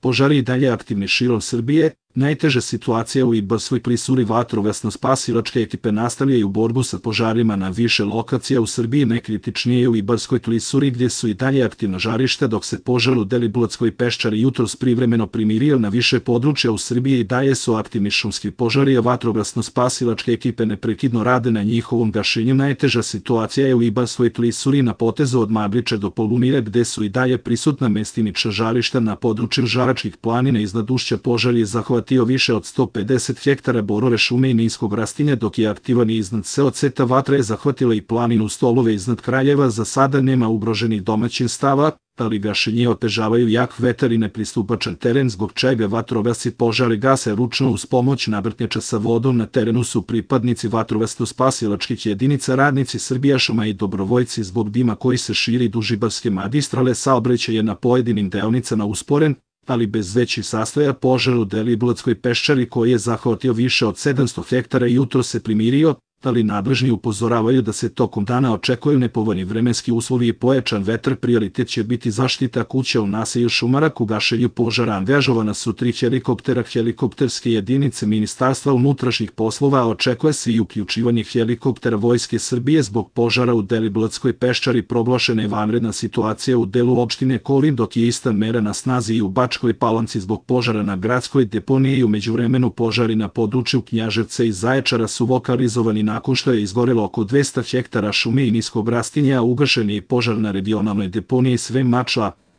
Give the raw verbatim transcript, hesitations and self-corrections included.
požari i dalje aktivni širom Srbije. Najteža situacija u Ibarskoj klisuri vatrogasno-spasilačke ekipe nastavljaju borbu sa požarima na više lokacija u Srbiji, najkritičnije u Ibarskoj klisuri gdje su i dalje aktivna žarišta, dok se požar u Deliblatskoj peščari jutros privremeno primirio na više područja u Srbiji i dalje su aktivni šumski požari, a vatrogasno-spasilačke ekipe neprekidno rade na njihovom gašenju. Najteža situacija je u Ibarskoj klisuri na potezu od Mabliče do Polumire, gdje su i dalje prisutna mestimična žarišta na području Žaračkih planina. Iznad ušća požar je zahvatio više od sto pedeset hektara borove šume i niskog rastinja, dok je aktivan i iznad seoceta. Vatra je zahvatila i planinu Stolove iznad Kraljeva. Za sada nema ugroženih domaćinstava, ali gašenje otežavaju jak vetar i nepristupačan teren, zbog čega vatrogasci požare gase ručno uz pomoć navrtnjača sa vodom. Na terenu su pripadnici vatrogasno-spasilačkih jedinica, radnici Srbijašuma i dobrovoljci. Zbog dima koji se širi duž Ibarske magistrale, saobraćaj je na pojedinim deonicama usporen, ali bez većih sastoja. Požar u Deliblatskoj peščari koji je zahvatio više od sedamsto hektara jutro se primirio, ali nadležni upozoravaju da se tokom dana očekuju nepovoljni vremenski uslovi i pojačan vetar. Prioritet će biti zaštita kuća u naselju Šumarak. U gašenju požara angažovana su tri helikoptera helikopterske jedinice Ministarstva unutrašnjih poslova, a očekuje se i uključivanje helikoptera Vojske Srbije. Zbog požara u Deliblatskoj peščari proglašena je vanredna situacija u delu opštine Kolin, dok je ista mera na snazi i u Bačkoj Palanci zbog požara na gradskoj deponiji. U međuvremenu požari na području Knjaževca i Zaječara su lokalizovani nakon što je izgorelo oko dvesta hektara šume i niskog rastinja. Ugašen je požar na regionalnoj deponiji Sve Mačva.